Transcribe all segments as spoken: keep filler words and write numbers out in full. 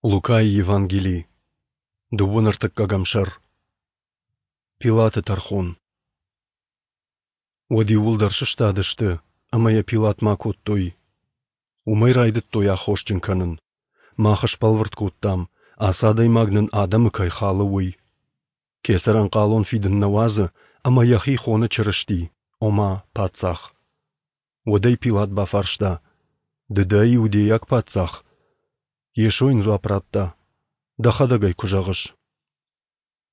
Лукайы Евангели, дыууын ӕртыккӕгӕм сӕр. Пилаты тӕрхон. Уӕд иууылдӕр сыстадысты ӕмӕ йӕ Пилатмӕ акодтой. Уымӕй райдыдтой аххосджын кӕнын. Мах сбӕлвырд кодтам, ацы адӕймаг нын адӕмы кӕй халы, уый. Кесӕрӕн хъалон фидын нӕ уадзы ӕмӕ йӕхи хоны Чырысти, ома паддзах. Уӕд ӕй Пилат бафарста: Ды дӕ иудейаг паддзах? Йесо йын дзуапп радта: Дӕхӕдӕг ӕй куы зӕгъыс.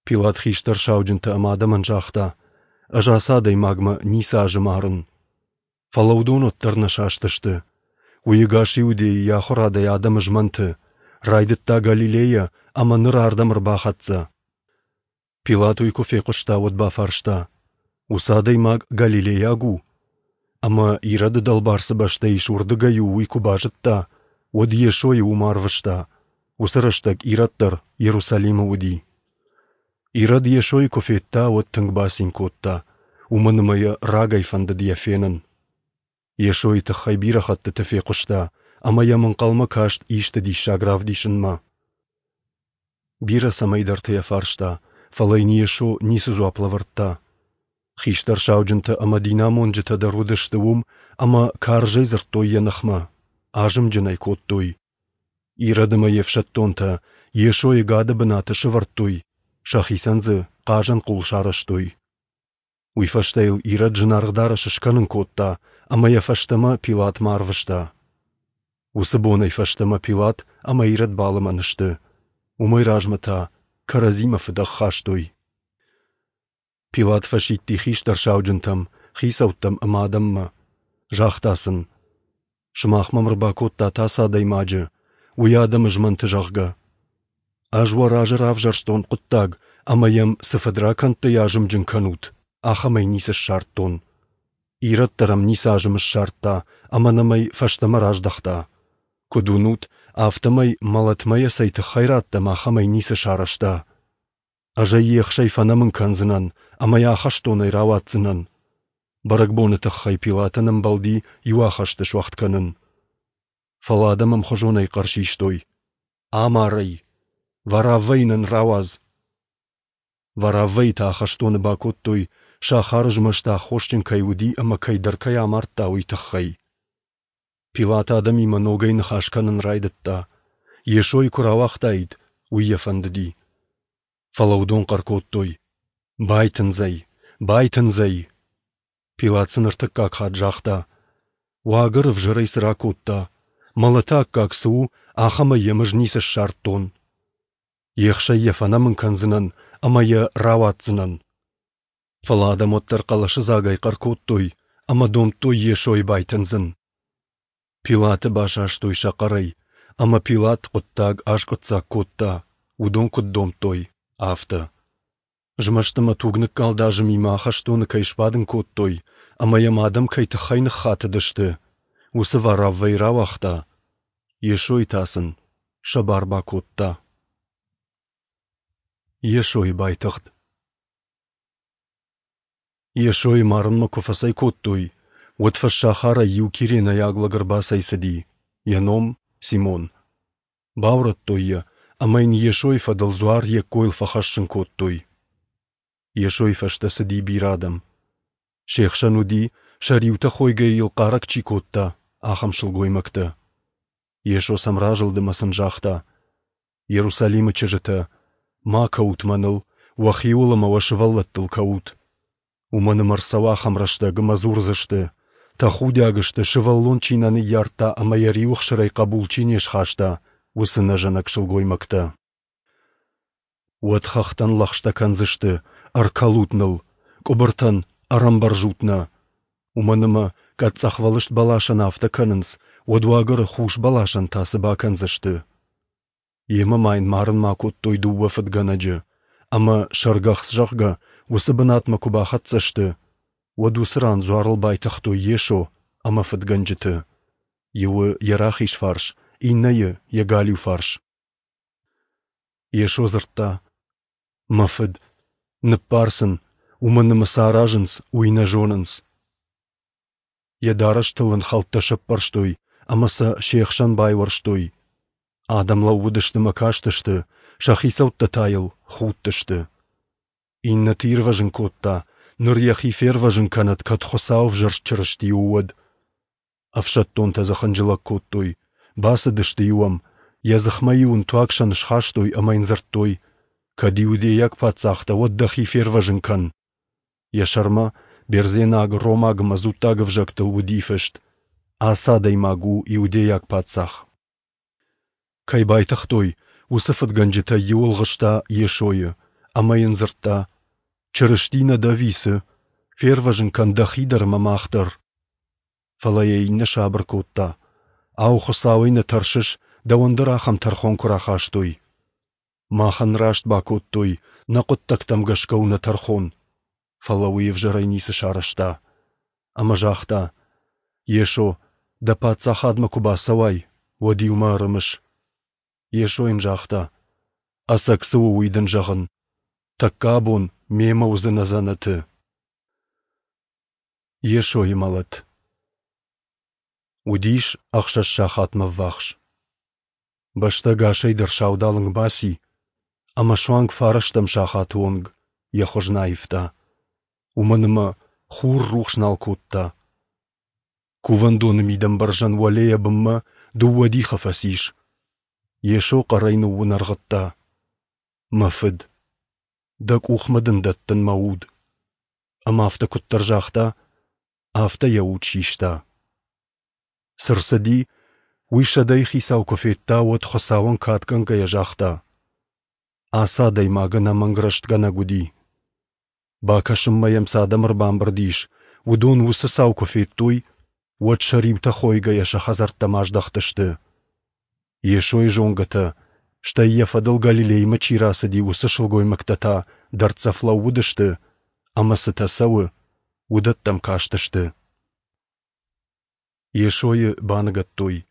Пилат хистӕр сауджынтӕ ӕмӕ адӕмӕн загъта: Ӕз ацы адӕймагмӕ ницы азым арын. Фӕлӕ уыдон уӕддӕр нӕ састысты. Уый ӕгас Иудейы йӕ ахуырадӕй адӕмы змӕнты, райдыдта Галилейӕ ӕмӕ ныр ардӕм ӕрбахӕццӕ. Пилат уый куы фехъуыста, уӕд бафарста: Уыцы адӕймаг галилейаг у? Ӕмӕ Ироды дӕлбар цы бӕстӕ ис, уырдыгӕй у, уый куы базыдта, уӕд Йесойы уым арвыста. Уыцы рӕстӕг Ирод дӕр Иерусалимы уыди. Ирод Йесойы куы федта, уӕд тынг бацин кодта, уымӕн ӕмӕ йӕ рагӕй фӕндыд йӕ фенын. Йесойы тыххӕй бирӕ хӕттыты фехъуыста ӕмӕ йӕм ӕнхъӕлмӕ каст исты диссаг равдисынмӕ. Бирӕ цӕмӕйдӕрты йӕ фарста, фӕлӕ йын Йесо ницы дзуапп лӕвӕрдта. Хистӕр сауджынтӕ ӕмӕ динамонджытӕ дӕр уыдысты уым ӕмӕ карзӕй дзырдтой йӕ ныхмӕ, азымджын ӕй кодтой. Ирод ӕмӕ йе фсӕддонтӕ Йесойы гады бынаты сӕвӕрдтой, сӕхицӕн дзы хъазӕн хъул сарӕзтой. Уый фӕстӕ йыл Ирод зынаргъ дарӕс скӕнын кодта ӕмӕ йӕ фӕстӕмӕ Пилатмӕ арвыста. Уыцы бонӕй фӕстӕмӕ Пилат ӕмӕ Ирод балымӕн сты. Уымӕй размӕ та кӕрӕдзимӕ фыдӕх хастой. Пилат фӕсидти хистӕр сауджынтӕм, хицӕуттӕм ӕмӕ адӕммӕ. Загъта сын: Сымах мӕм ӕрбакодтат ацы адӕймаджы, уый адӕмы змӕнты, зӕгъгӕ. Ӕз уӕ разы равзӕрстон хъуыддаг, ӕмӕ йӕм цы фыдракӕндтӕй азымджын кӕнут, ахӕмӕй ницы ссардтон. Ирод дӕр ӕм ницы азым ссардта ӕмӕ нӕм ӕй фӕстӕмӕ раздӕхта. Куыд уынут, афтӕмӕй мӕлӕтмӕ йӕ цӕй тыххӕй радтам, ахӕмӕй ницы сарӕзта. Ӕз ӕй ехсӕй фӕнӕмын кӕндзынӕн ӕмӕ йӕ ахӕстонӕй рауадздзынӕн. Бӕрӕгбоны тыххӕй Пилатӕн ӕмбӕлди иу ахӕсты суӕгъд кӕнын. Фӕлӕ адӕм ӕмхуызонӕй хъӕр систой: Амар ӕй! Вараввӕйы нын рауадз! Вараввӕйы та ахӕстоны бакодтой, сахары змӕсты аххосджын кӕй уыди ӕмӕ кӕйдӕр кӕй амардта, уый тыххӕй. Пилат адӕмимӕ ногӕй ныхас кӕнын райдыдта. Йесойы куы рауагътаид, уый йӕ фӕндыди. Фӕлӕ уыдон хъӕр кодтой: Байтындз ӕй! Байтындз ӕй! Пилат сын ӕртыккаг хатт загъта: Уагӕр ӕвзӕрӕй цы ракодта? Мӕлӕты аккаг цы у, ахӕмӕй йӕм ӕз ницы ссардтон. Ехсӕй йӕ фӕнӕмын кӕндзынӕн ӕмӕ йӕ рауадздзынӕн. Фӕлӕ адӕм уӕддӕр хъӕлӕсыдзагӕй хъӕр кодтой ӕмӕ домдтой Йесойы байтындзын. Пилаты басастой сӕ хъӕрӕй, ӕмӕ Пилат хъуыддаг аскъуыддзаг кодта, уыдон куыд домдтой, афтӕ. Змӕст ӕмӕ тугныккалд азымимӕ ахӕстоны кӕй сбадын кодтой ӕмӕ йӕм адӕм кӕй тыххӕй ныххатыдысты, уыцы Вараввӕйы рауагъта, Йесойы та сын сӕ бар бакодта. Йесойы байтыгъд. Йесойы марынмӕ куы фӕцӕйкодтой, уӕд фӕссахарӕй иу киренӕйаг лӕг ӕрбацӕйцыди, йӕ ном Симон. Баурӕдтой йӕ ӕмӕ йын Йесойы фӕдыл дзуар йе ккойыл фӕхӕссын кодтой. Йесойы фӕстӕ цыди бирӕ адӕм. Се хсӕн уыди, сӕ риутӕ хойгӕ йыл хъарӕг чи кодта, ахӕм сылгоймӕгтӕ. Йесо сӕм разылд ӕмӕ сын загъта: Иерусалимы чызджытӕ, ма кӕут мӕныл, уӕхиуыл ӕмӕ уӕ сывӕллӕттыл кӕут. Уымӕн ӕмӕ ӕрцӕуы ахӕм рӕстӕг ӕмӕ дзурдзысты: тӕхудиаг сты, сывӕллон чи нӕ ныййардта ӕмӕ йӕ риуы хсырӕй хъӕбул чи не схаста, уыцы нӕзӕнӕг сылгоймӕгтӕ. Уӕд хӕхтӕн лӕгъстӕ кӕндзысты: ӕркӕлут ныл, къуыбыртӕн ӕрӕмбӕрзут нӕ. Уымӕн ӕмӕ кӕд цъӕхвӕлыст бӕласӕн афтӕ кӕнынц, уӕд уагӕры хус бӕласӕн та цы бакӕндзысты? Йемӕ ма йын марынмӕ акодтой дыууӕ фыдгӕнӕджы, ӕмӕ сӕргӕхц, зӕгъгӕ, уыцы бынатмӕ куы бахӕццӕ сты, уӕд уыцы ран дзуарыл байтыгътой Йесо ӕмӕ фыдгӕнджыты. Иуы йӕ рахиз фарс, иннӕйы йӕ галиу фарс. Йесо дзырдта: Мӕ фыд, ныббар сын, уымӕн ӕмӕ цы аразынц, уый нӕ зонынц. Йӕ дарӕстыл ын хӕлттӕ сӕппӕрстой ӕмӕ сӕ се хсӕн байуӕрстой. Адӕм лӕууыдысты мӕ кастысты, сӕ хицӕуттӕ та йыл худтысты. Иннӕты ирвӕзын кодта, ныр йӕхи фервӕзын кӕнӕд, кӕд Хуыцауы ӕвзӕрст Чырысти у, уӕд. Ӕфсӕддонтӕ дзы хынджылӕг кодтой, бацыдысты-иу ӕм, йӕ дзыхмӕ-иу ын туаг сӕн схастой ӕмӕ йын дзырдтой: «Кӕд иудейаг паддзах дӕ, уӕд дӕхи фервӕзын кӕн». Йӕ сӕрмӕ бердзенаг, ромаг ӕмӕ дзуттаг ӕвзӕгтыл уыди фыст: «Ацы адӕймаг у иудейаг паддзах». Кӕй байтыгътой, уыцы фыдгӕнджытӕй иу ӕлгъыста Йесойы ӕмӕ йын дзырдта: «Чырысти нӕ дӕ ӕви цы? Фервӕзын кӕн дӕхи дӕр ӕмӕ мах дӕр». Фӕлӕ йӕ иннӕ сабыр кодта: «Ау, Хуыцауӕй нӕ тӕрсыс, дӕуӕн дӕр ахӕм тӕрхон куы рахастой? Махӕн раст бакодтой, нӕ хъуыддӕгтӕм гӕсгӕ у нӕ тӕрхон». Фӕлӕ уый ӕвзӕрӕй ницы сарӕзта. Ӕмӕ загъта: «Йесо, дӕ паддзахадмӕ куы бацӕуай, уӕд-иу мӕ ӕрымыс». Йесо йын загъта: «Ӕцӕг цы у, уый дын зӕгъын: тӕккӕ абон мемӕ уыдзынӕ дзӕнӕты». Йесойы мӕлӕт Уыдис ӕхсӕз сахатмӕ ввахс. Бӕстӕ ӕгасӕй дӕр саудалынг баци, ӕмӕ суанг фарӕстӕм сахаты онг йӕ хуыз нӕ аивта, уымӕн ӕмӕ хур рухс нал кодта. Кувӕндоны мидӕмбӕрзӕн уӕлейӕ бынмӕ дыууӕ дихы фӕцис. Йесо хъӕрӕй ныууынӕргъыдта: «Мӕ Фыд, дӕ къухмӕ дын дӕттын мӕ уд». Ӕмӕ афтӕ куыддӕр загъта, афтӕ йӕ уд систа. Цы рцыди, уый сӕдӕйы хицау куы федта, уӕд Хуыцауӕн кадгӕнгӕйӕ загъта: «Ацы адӕймаг ӕнӕмӕнг рӕстгӕнӕг уыди». Бакӕсынмӕ йӕм цы адӕм ӕрбамбырд ис, уыдон уыцы цау куы федтой, уӕд сӕ риутӕ хойгӕйӕ сӕ хӕдзӕрттӕм аздӕхтысты. Йесойы зонгӕтӕ, стӕй йӕ фӕдыл Галилеймӕ чи рацыди, уыцы сылгоймӕгтӕ та дӕрддзӕф лӕууыдысты ӕмӕ цытӕ цӕуы, уыдӕттӕм кастысты. Йесойы баныгӕдтой.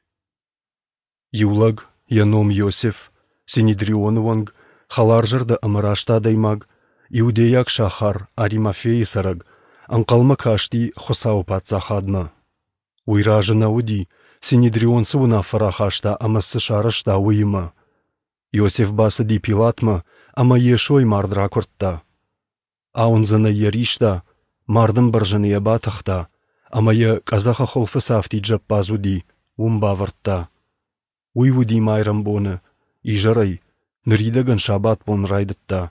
Иу лӕг, йӕ ном Иосиф, Синедрионы уӕнг, хӕларзӕрдӕ ӕмӕ раст адӕймаг, иудейаг сахар Аримафейы цӕрӕг, ӕнхъӕлмӕ касти Хуыцауы паддзахадмӕ. Уый разы нӕ уыди, Синедрион цы уынаффӕ рахаста ӕмӕ цы сарӕзта, уыимӕ. Иосиф бацыди Пилатмӕ ӕмӕ Йесойы мард ракуырдта. Ауындзӕнӕй йӕ риста, мардӕмбӕрзӕны йӕ батыхта ӕмӕ йӕ къӕдзӕхы хуылфы цы афтид зӕппадз уыди, уым бавӕрдта. Уый уыди майрӕмбоны, изӕрӕй, ныридӕгӕн сабатбон райдыдта.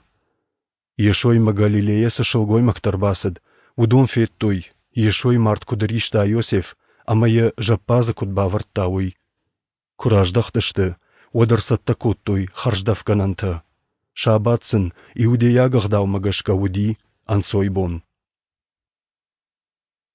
Йесоимӕ Галилейӕ цы сылгоймӕгтӕ ӕрбацыд, уыдон федтой, Йесойы мард куыд риста Иосиф ӕмӕ йӕ зӕппадзы куыд бавӕрдта, уый. Куы раздӕхтысты, уӕд ӕрцӕттӕ кодтой хӕрздӕфгӕнӕнтӕ. Сабат сын иудейаг ӕгъдаумӕ гӕсгӕ уыди ӕнцойбон.